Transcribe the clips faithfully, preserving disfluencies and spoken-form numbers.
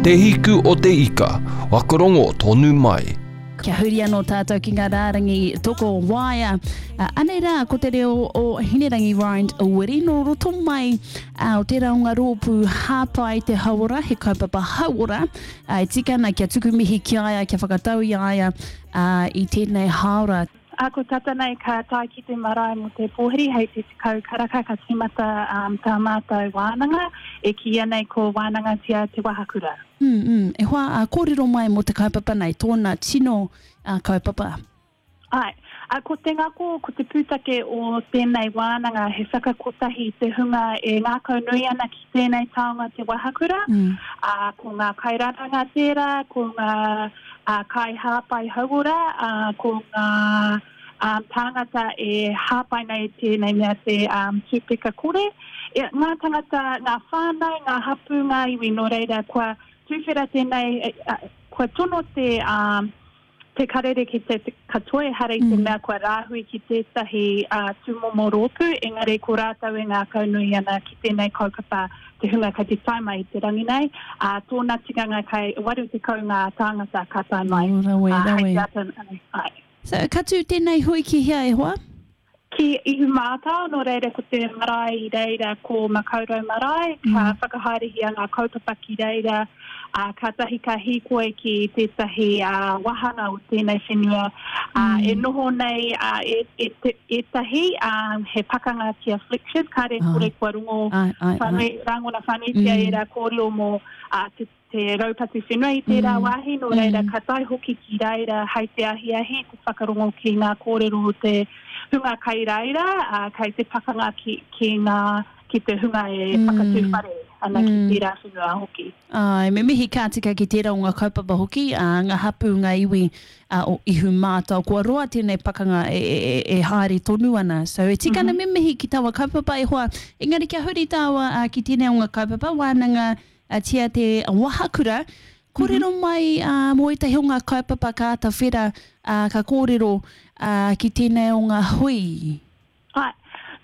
Te Hiku o te Ika, whakarongo tonu mai. Kia huri anō tātou ki ngā rārangi toko waea. Uh, anei rā, ko te reo o Hinerangi Rind Wiri nō roto mai uh, o tērā o ngā rōpū hāpai te hauora, he kaupapa hauora. Uh, e tika ana kia tuku mihi ki a ia, kia whakatau i a ia uh, i tēnei hāora. A ko tata nei ka tae ki te marae mō te pōhiri hei te tekau karaka ka tīmata um, tā mātou wānanga e kīia nei ko Wānangatia Te Wahakura. Mm, mm. E hoa, uh, kōrero mai mō te kaupapa nei, tōna tino uh, kaupapa. Ai, a ko te ngako, ko te pūtake o tēnei wānanga he whakakotahi te hunga e ngākau nui ana ki tēnei taonga te wahakura. Mm. A, ko ngā kairaranga tērā, ko ngā a, kaihāpai hauora, a, ko ngā um, tāngata e hāpai nei tēnei mea te um, tūpeka kore. E, ngā tangata, ngā whānau, ngā hapū, ngā iwi, nō reira, kua tūwhera tēnei, e, kua tono te, um, te karere ki te, te katoa, ehara i te Mm. mea kua rāhui ki tētahi uh, tūmomo rōpū, engari ko rātou e ngākau nui ana ki tēnei kaupapa te hunga kei te tae mai i te rangi nei. Uh, tōna tikanga kai waru tekau ngā tāngata ka tae mai. Oh, rawe, Uh, hei rawe. te ata, ai, ai. So, ka tū tēnei hui ki hea e hoa? Ki Ihumātao, nō reira ko te marae i reira ko Makaurau Marae, ka Mm. whakahaerehia ngā kaupapa ki reira, uh, ka tahi ka hīkoi ki tētahi uh, wahanga o tēnei whenua. Uh, Mm. E noho nei uh, e, e, te, ētahi, um, he pakanga ki a Fletchers, kāre Ai. kore kua rongo Ai, ai, ai. whanui, rangona whānuitia Mm. ērā kōrero mō uh, te, te raupatu whenua i tērā Mm. wāhi, nō reira Mm. ka tae hoki ki reira hei te ahiahi, te whakarongo ki ngā kōrero o te hunga kai reira, uh, kai te pakanga ki, ki, ngā, ki te hunga e Mm. whakatū whare ana ki Mm. tērā whenua hoki. Ai, me mihi ka tika ki tērā o ngā kaupapa hoki, uh, ngā hapū, ngā iwi uh, o Ihumātao. Kua roa tēnei pakanga e, e, e, e haere tonu ana. So, e tika ana Mm -hmm. me mihi ki taua kaupapa e hoa. Engari kia huri tāua uh, ki tēnei o ngā kaupapa, wānanga uh, tia te wahakura. Kōrero Mm -hmm. mai uh, mō ētahi o ngā kaupapa ka āta whera, uh, ka kōrero uh, ki tēnei o ngā hui. Ai,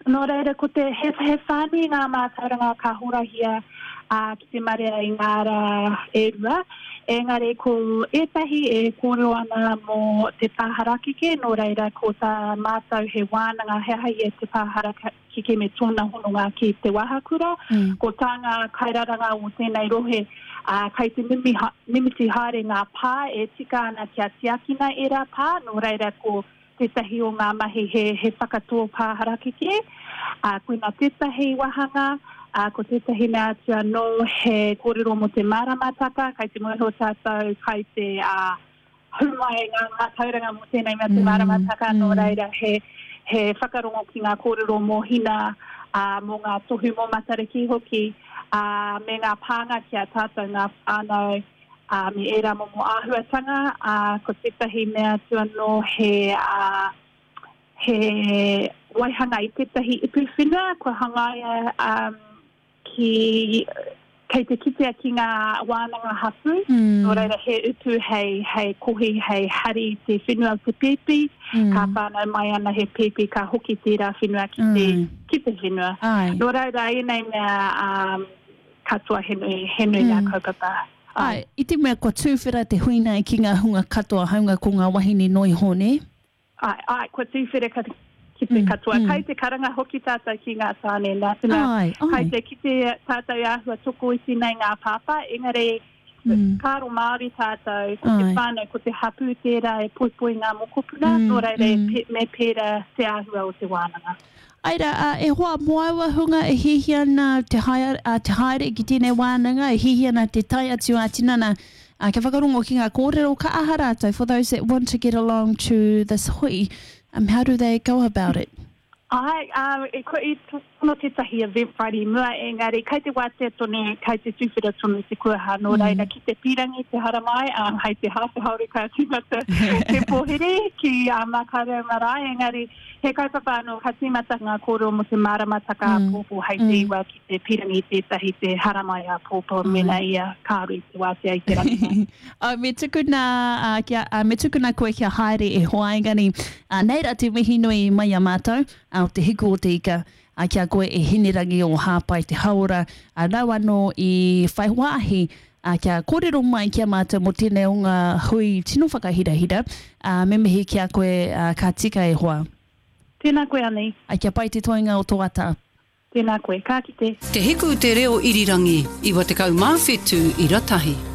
nō reira, ko te he, he whānui ngā mātauranga ka horahia uh, ki te marea i ngā rā e rua. Engari ko ētahi e kōrero ana mō te pā harakeke, nō reira ko tā mātou he wānanga he aha ia te pā harakeke me tōna hononga ki te wahakura. Mm. Ko tā ngā kairaranga o tēnei rohe, uh, kai te mimi, ha, mimiti haere ngā pā e tika ana kia tiakina ērā pā, nō reira ko tētahi o ngā mahi he, he whakatō pā harakeke. Uh, koina tētahi wahanga, uh, ko tētahi mea atu anō he kōrero mō te māramataka, kai te mōhio tātou, kai te uh, humai ngā mātauranga mō tēnei mea te Mm, māramataka, nō mm. reira he, he whakarongo ki ngā kōrero mō hina, uh, mō ngā tohu mō Matariki hoki, uh, me ngā pānga ki a tātou ngā whānau, uh, me ērā momo āhuatanga, uh, ko tētahi mea atu anō he, uh, he waihanga i tētahi ipu whenua, kua hangaia um, ki, kei te kitea ki ngā wānanga hapū. Mm. Nō reira he utu hei, hei kohi, hei hari te whenua o te pēpi. Mm. Ka whānau mai ana he pēpi, ka hoki tērā whenua ki te, Mm. ki te whenua. Ai. Nō reira, ēnei mea um, katoa he nui, he nui ngā Mm. kaupapa. Ai, i te mea kua tūwhera te hui nei ki ngā hunga katoa, haunga ko ngā wahine noi ho, ne? Ai, ai, kua tūwhera ka, ki te Mm, katoa. mm. Kai te karanga hoki tātou ki ngā tāne, nā te mea, Ai, ai. kai te kite tātou āhua tokoiti nei ngā pāpā, engari Mm. kāro Māori tātou, ko te Ai. whānau, ko te hapū tērā e poipoi ngā mokopuna, Mm, nō reira e mm. pe, me pērā te āhua o te wānanga. Aira, uh, e hoa mō aua hunga e hihi ana te, haere, uh, te haere ki tēnei wānanga, e hihi ana te tae atu a tinana, uh, kia whakarongo ki ngā kōrero, ka aha rātou, for those that want to get along to this hui, um, how do they go about it? Ai, um, e ko i tono tētahi Eventbrite i mua, engari kai te wātea tonu, kai te tūwhera tonu te kuaha, nō Mm. reira ki te pīrangi te haramai, um, hei te hāwhe haore ka tīmata te pōhiri ki uh, Makaurau Marae, engari he kaupapa anō ka tīmata ngā kōrero mō te māramataka Mm. āpōpō hei te Mm. iwa ki te pīrangi tētahi te haramai āpōpō Ai. mena ia kāore i te wātea i te rangi. Oh, me tukuna, uh, kia, uh, me tukuna koe kia haere e hoa, engari, uh, nei rā te mihi nui mai a mātou, uh, o te hiku o te ika, ki a koe e Hinerangi o Hāpai Te Hauora, nāu anō i whai wāhi kia kōrero mai ki a mātou mō tēnei o ngā hui tino whakahirahira. Me mihi ki a koe, ka tika e hoa. Tēnā koe Ani. Kia pai te toenga o tō ata. Tēnā koe, ka kite. Te Hiku Te Reo Irirangi, iwa tekau mā whetū ira tahi.